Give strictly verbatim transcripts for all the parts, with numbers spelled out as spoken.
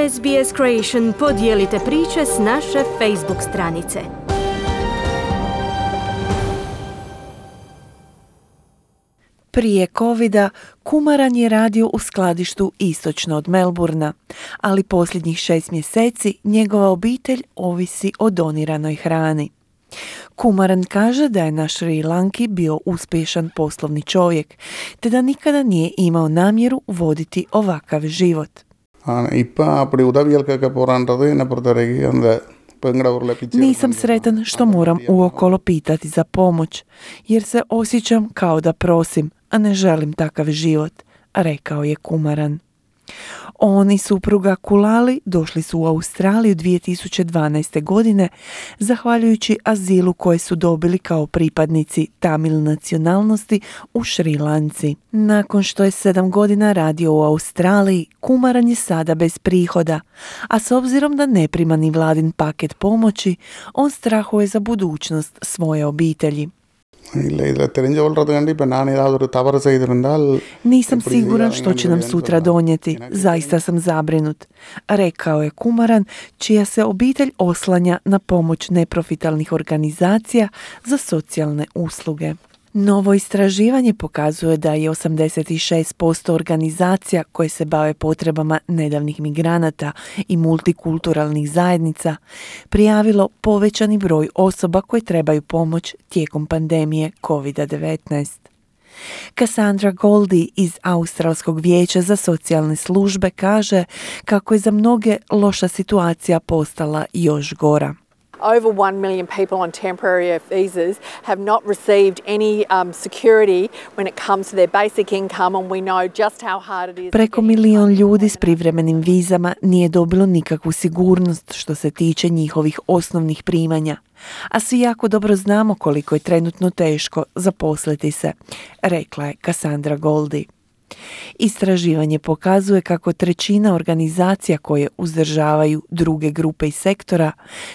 S B S Creation podijelite priče s naše Facebook stranice. Prije covida Kumaran je radio u skladištu istočno od Melburna, ali posljednjih šest mjeseci njegova obitelj ovisi o doniranoj hrani. Kumaran kaže da je na Šri Lanki bio uspješan poslovni čovjek, te da nikada nije imao namjeru voditi ovakav život. Nisam sretan što moram uokolo pitati za pomoć, jer se osjećam kao da prosim, a ne želim takav život, rekao je Kumaran. On i supruga Kulali došli su u Australiju dvije tisuće dvanaeste. godine zahvaljujući azilu koje su dobili kao pripadnici Tamil nacionalnosti u Šri Lanci. Nakon što je sedam godina radio u Australiji, Kumaran je sada bez prihoda, a s obzirom da ne prima ni vladin paket pomoći, on strahuje za budućnost svoje obitelji. Nisam siguran što će nam sutra donijeti, zaista sam zabrinut, rekao je Kumaran, čija se obitelj oslanja na pomoć neprofitalnih organizacija za socijalne usluge. Novo istraživanje pokazuje da je osamdeset šest posto organizacija koje se bave potrebama nedavnih migranata i multikulturalnih zajednica prijavilo povećani broj osoba koje trebaju pomoć tijekom pandemije kovid devetnaest. Cassandra Goldie iz Australskog vijeća za socijalne službe kaže kako je za mnoge loša situacija postala još gora. Over one million people on temporary visas have not received any um, security when it comes to their basic income, and we know just how hard it is. Preko milion ljudi s privremenim vizama nije dobilo nikakvu sigurnost što se tiče njihovih osnovnih primanja, a svi jako dobro znamo koliko je trenutno teško zaposliti se, rekla je Cassandra Goldie. Istraživanje pokazuje kako trećina organizacija koje uzdržavaju druge grupe i sektora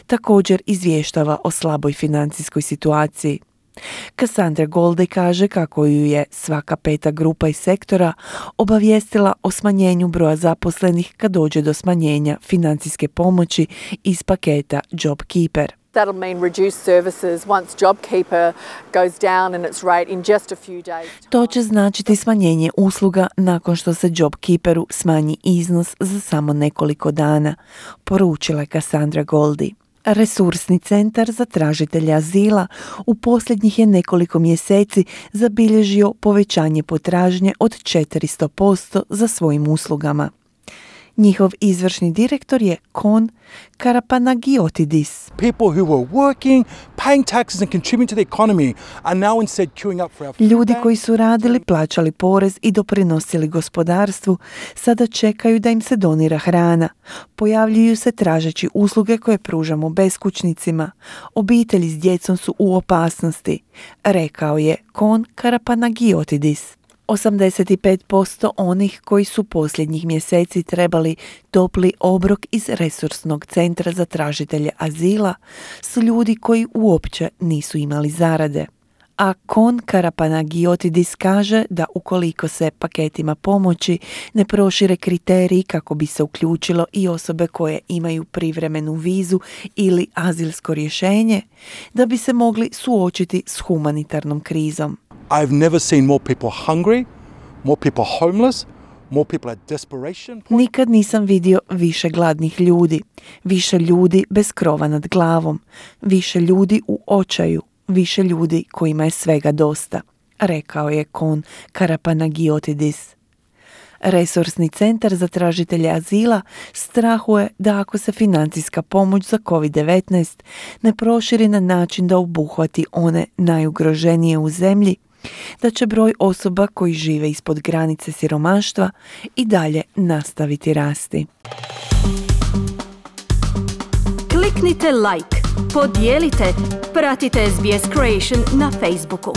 također izvještava o slaboj financijskoj situaciji. Cassandra Goldie kaže kako ju je svaka peta grupa iz sektora obavijestila o smanjenju broja zaposlenih kad dođe do smanjenja financijske pomoći iz paketa JobKeeper. That'll mean reduced services once JobKeeper goes down in its rate in just a few days. To će značiti smanjenje usluga nakon što se JobKeeperu smanji iznos za samo nekoliko dana, poručila je Cassandra Goldie. Resursni centar za tražitelje azila u posljednjih je nekoliko mjeseci zabilježio povećanje potražnje od četiristo posto za svojim uslugama. Njihov izvršni direktor je Kon Karapanagiotidis. People who were working, paying taxes and contributing to the economy are now instead queuing up for our food. Ljudi koji su radili, plaćali porez i doprinosili gospodarstvu, sada čekaju da im se donira hrana. Pojavljuju se tražeći usluge koje pružamo beskućnicima. Obitelji s djecom su u opasnosti, rekao je Kon Karapanagiotidis. osamdeset pet posto onih koji su posljednjih mjeseci trebali topli obrok iz resursnog centra za tražitelje azila su ljudi koji uopće nisu imali zarade. A Kon Karapanagiotidis kaže da ukoliko se paketima pomoći ne prošire kriteriji kako bi se uključilo i osobe koje imaju privremenu vizu ili azilsko rješenje, da bi se mogli suočiti s humanitarnom krizom. I've never seen more people hungry, more people homeless, more people at desperation. Nikad nisam vidio više gladnih ljudi, više ljudi bez krova nad glavom, više ljudi u očaju, više ljudi kojima je svega dosta, rekao je Kon Karapanagiotidis. Resursni centar za tražitelje azila strahuje da ako se financijska pomoć za kovid devetnaest ne proširi na način da obuhvati one najugroženije u zemlji, da će broj osoba koji žive ispod granice siromaštva i dalje nastaviti rasti. Kliknite like, podijelite, pratite S B S Creation na Facebooku.